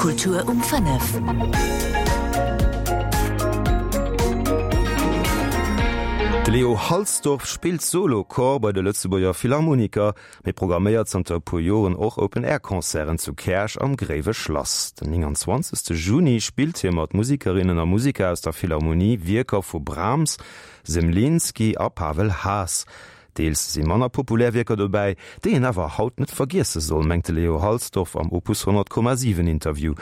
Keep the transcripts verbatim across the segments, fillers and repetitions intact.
Kultur um fënnef. De Leo Halsdorf spillt Solo-Cor bei de Lëtzebuerger Philharmoniker, mee programméiert zanter e puer Joren och Open-Air-Concerten zu Käerch am Gréiwe Schlass. Den nénganzwanzegste Juni spillt hie mat Musikerinnen a Musiker aus der Philharmonie Wierker vu Brahms, Zemlinsky a Pavel Haas. Deels si manner populär Wierker dobäi, déi een awer haut net vergiesse soll, mengt de Leo Halsdorf am Opus honnert Komma siwen Interview.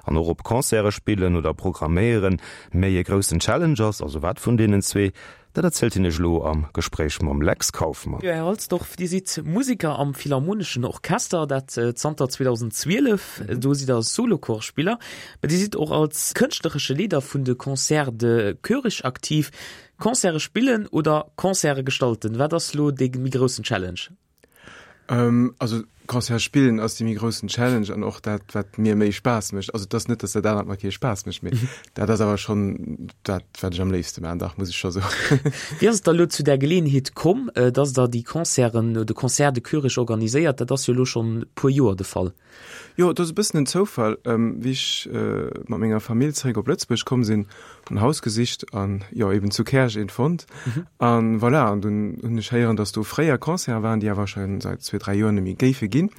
An och ob Concerte spillen oder programméieren méi e groussen Challenge ass, also wat vun deenen zwee, dat erzielt hien iech elo am Gespréich mam Lex Kauffmann. Jo, Här Halsdorf, Dir sidd Museker am Philharmoneschen Orchester, dat zanter zweedausendzwielef. Do sidd Der Solochorspiller, mä Dir sidd och als kënschtleresche Leeder vun de Concerts de Koerich aktiv. Concerte spillen oder Concerte gestalten, wat ass lo dee méi groussen Challenge? Also Concerte spillen ass dee méi groussen Challenge an och dat, wat mir méi Spaass mécht. Also et ass net, datt dat anert mer kee Spaass mécht, mee dat ass awer schonn dat, wat ech am léifste maachen, dach, muss ech scho soen. Wéi ass et da lo zu där Geleeënheet komm, datt Der déi Concerten, de Concert de Koerich organiséiert? Dat ass jo lo schonn e puer Joer de Fall. Jo, et ass e bëssen en Zoufall. Wéi ech mat menger Famill zeréck op Lëtzebuerg komm sinn, hunn Haus gesicht an jo eben zu Käerch eent fonnt. An voilà, an dunn hunn ech héieren, datt do fréier Concerte waren, déi awer scho säit zwee, dräi Joer net méi géife ginn.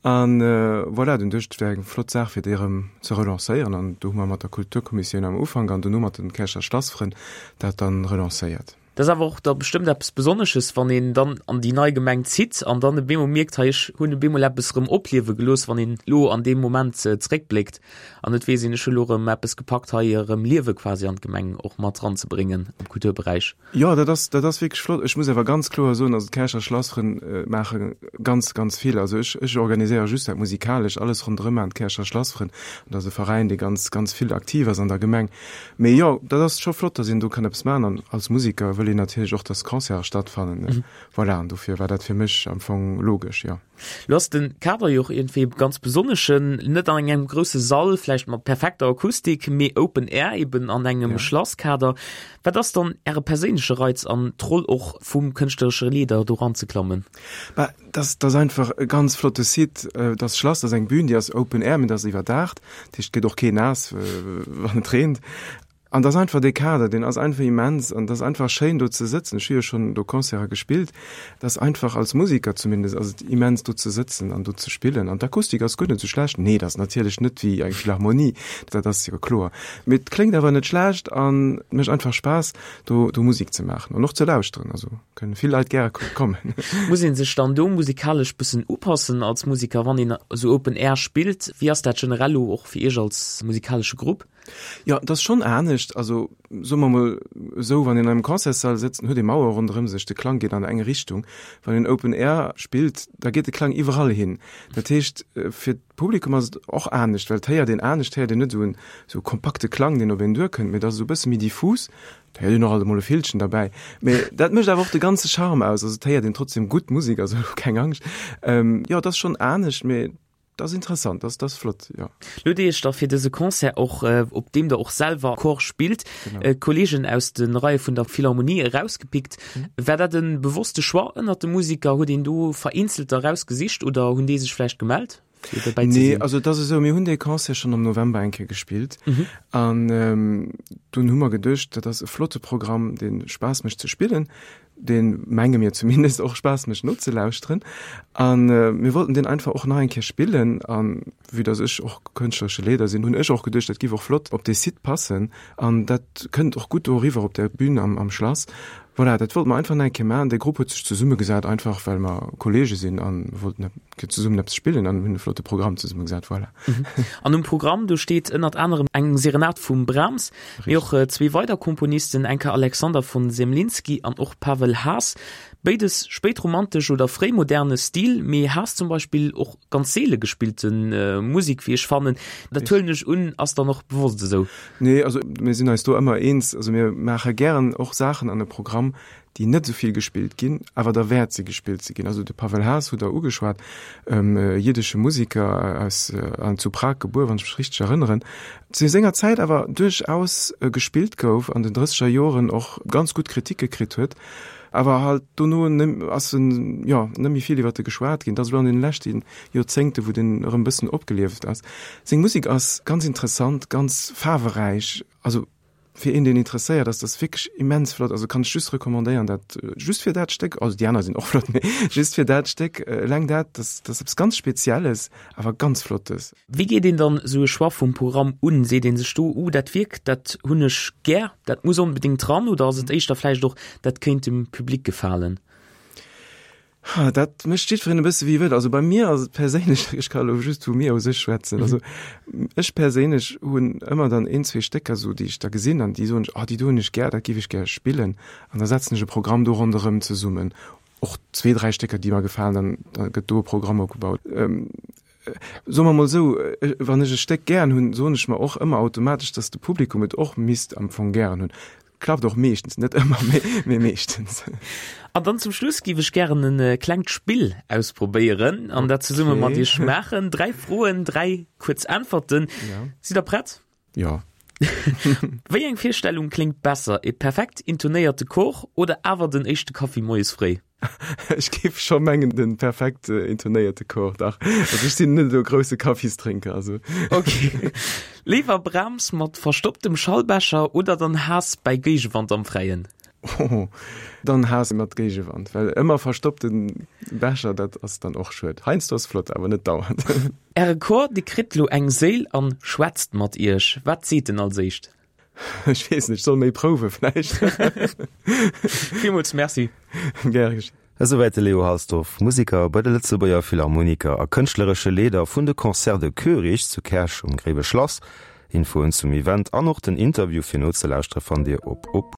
An voilà, dunn duecht ech, et wär eng flott Saach fir déi erëm ze relancéieren. An do hu mer mat der Kulturkommissioun am Ufank an dono mat de Käercher Schlassfrënn dat dann relancéiert. Dat ass awer och da bestëmmt eppes Besonnesches, wann een dann an déi nei Gemeng zitt an dann op eemol mierkt, hei ech hunn op eemol eppes erëm opliewe gelooss, wann een elo an deem Moment zeréckbléckt an et weess een, ech hu elo erëm eppes gepackt, hei erëm Liewe quasi an d'Gemeng och mat eranzebréngen am Kulturberäich. Jo, dat ass, dat ass wierklech flott. Ech muss awer ganz kloer soen, also d'Käercher Schlassfrënn maache ganz, ganz vill. Also ech, ech organiséiere just dat Musikalesch, alles ronderëm maachen d'Käercher Schlassfrënn. An dat ass e Veräin, dee ganz, ganz vill aktiv ass an der Gemeng. Mee jo, dat ass scho flott, dass een do kann eppes maachen. An als Museker wëll een natierlech och, dass Concerte stattfannen. Voilà, an dofir war dat fir mech am Fong logesch, jo. Lo ass de Kader jo och iergendwéi e ganz besonneschen, net an engem grousse Sall, vläicht mat perfekter Akustik, mee Open Air eben an engem Schlasskader. Wat ass dann Äre perséinleche Reiz an d'Roll och vum kënschtleresche Leader do eranzeklammen? Bah, dat ass einfach e ganz flotte Site. Dat Schlass ass eng Bühn, déi ass Open Air, mee dat ass iwwerdaacht. Dat heescht, et gëtt och keen naass, wann et reent. An dat ass einfach dee Kader, deen ass einfach immens an dat ass einfach schéin do ze sëtzen. Ech hu jo schonn do Concerte gespillt. Dat ass einfach, als Musiker zumindest, ass et immens do ze sëtzen an do ze spillen. An d'Akustik ass guer net esou schlecht. Nee, dat ass natierlech net wéi eng Philharmonie, dat ass jo kloer. Mee et kléngt awer net schlecht an et mécht einfach Spaass do do Musek ze maachen an och ze lauschteren. Also kënne vill Leit gäre kommen. Muss ee sech dann do musikalesch bëssen upassen als Musiker, wann een esou Open Air spillt? Wéi ass dat generell elo och fir Iech als musikalesche Grupp? Jo, et ass schonn anescht. Also soe mer emol esou, wann een an engem Concertssall sëtzt, dann huet ee Mauer ronderëm sech, de Klang geet an eng Richtung. Wann een Open Air spillt, da geet de Klang iwwerall hin. Dat heescht, fir d'Publikum ass et och anescht, well et héiert een anescht, et héiert een net esou en esou kompakte Klang, deen op een duerkënnt, mee et ass esou e bësse méi diffus. Et héiert een och alt emol e Villchen derbäi, mee dat mécht awer och de ganze Charme aus. Also et héiert een trotzdem gutt Musek, also keng Angscht. Jo, et ass schonn anescht, mee Dat ass interessant, dat ass flott, jo. Lo hutt Dir Iech da fir dëse Concert och, op deem Der och selwer Cor spillt, Kolleegen aus de Reie vun der Philharmonie erausgepickt. War dat e bewosste Choix ënnert de Musiker? Huet een do Vereenzelter erausgesicht oder hunn déi sech vläicht gemellt, fir dobäi ze sinn? Nee, also et ass esou, mir hunn dee Concert schonn am November eng Kéier gespillt an dunn hu mer geduecht, dat ass e flotte Programm, dee Spaass mécht ze spillen. deen, menge mir zumindest, och Spaass mécht nozelauschteren. A mir wollten deen einfach och nach eng Kéier spillen. A vue dass ech och kënschtleresche Leeder sinn, hunn ech och geduecht, dat giff och flott op dee Site passen an dat kënnt och gutt do eriwwer op der Bühn am, am Schlass. Voilà, dat wollte mer einfach nach eng Kéier maachen. Dee Grupp huet sech zesummegesat, einfach well mer Kollege sinn a wollten zesummen eppes spillen an hunn e flotte Programm zesummegesat. Voilà. An um Programm, do steet ënnert anerem eng Serenad vum Brahms, mee och zwee weider Komponisten, enker Alexander von Zemlinsky an och Pavel Haas. Béides spéitromantesch oder fréimoderne Stil, mee Haas zum Beispill och ganz seele gespillte Musek, wéi ech fannen. Dat huelen ech un, ass dann och bewosst esou? Nee, also mir sinn eis do ëmmer eens. Also mir maache gären och Saachen an e Programm, déi net esou vill gespillt ginn, awer derwäert si gespillt ze ginn. Also de Pavel Haas hutt Der ugeschwat, e jiddesche Musiker aus an zu Prag gebuer, wann ech mech richteg erënneren, zu senger Zäit awer duerchaus gespillt gouf, an den drësseger Joren och ganz gutt Kritike kritt huet, awer halt dono ass en, jo, net méi vill iwwert e geschwat ginn. Et ass elo an den leschte Joerzéngte wou den erëm e bëssen opgelieft ass. Seng Musek ass ganz interessant, ganz faarweräich, also fir een deen interesséiert ass das wierklech immens flott, also kann ech just recommandéieren dat just fir dat Stéck, also déi aner sinn och flott, mee just fir dat Stéck eleng dat, dat ass eppes ganz Spezielles, awer ganz Flottes. Wéi geet een dann esou e Choix vum Programm un? Seet ee sech do, uh dat Wierk dat hunn ech gär, dat muss onbedéngt dran oder ass et éischter vläicht och, dat kéint dem Public gefalen? Ha, dat mécht jiddwereen e bësse wéi e wëllt. Also bei mir ass et perséinlech, ech ka elo just vu mir u sech schwätzen, also ech perséinlech hunn ëmmer dann een, zwee Stécker esou, déi ech da gesinn an déi soen ech, oh déi do hunn ech gär, dat géif ech gär spillen an da setzen ech e Programm do ronderëm zesummen. Och zwee, dräi Stécker, déi mer gefalen, dann da gëtt do e Programm opgebaut. Soe mer mol esou, wann ech e Stéck gären hunn, soen ech mer och ëmmer automatesch, datt de Publikum et och misst am Fong gären hunn. Klappt och meeschtens, net ëmmer, mee meeschtens. An dann zum Schluss giff ech gären e klengt Spill ausprobéieren an dat zesumme mat iech maachen. Dräi Froen, dräi kuerz Äntwerten. Sidd der prett? Jo. Wéi eng Virstellung kléngt besser, e perfekt intonéierte Chor oder awer den éischte Kaffi moies fréi? Ech géif scho mengen den perfekt intonéierte Chor, dach. Also ech sinn net esou e grousse Kaffisdrénker, also. Ok. Léiwer Brahms mat verstopptem Schallbecher oder dann Haas bäi Géigewand am Fräien? Oh, dann Haas mat Géigewand, well ëmmer verstoppte Becher, dat ass dann och schued. Heiansdo ass flott, awer net dauernd. Äre Chor, dee kritt lo eng Séil an schwätzt mat iech. Wat seet en als éischt? Ech weess net, ech soll méi prouwe vläicht. Villmools Merci. Gär geschéngt. Esouwäit de Leo Halsdorf, Museker bei de Lëtzebuerger Philharmoniker a kënschtleresche Leeder vun de Concerts de Koerich zu Käerch um Gréiwe Schlass. Infoen zum Event an och den Interview fir nozelauschtere fannt Dir op op.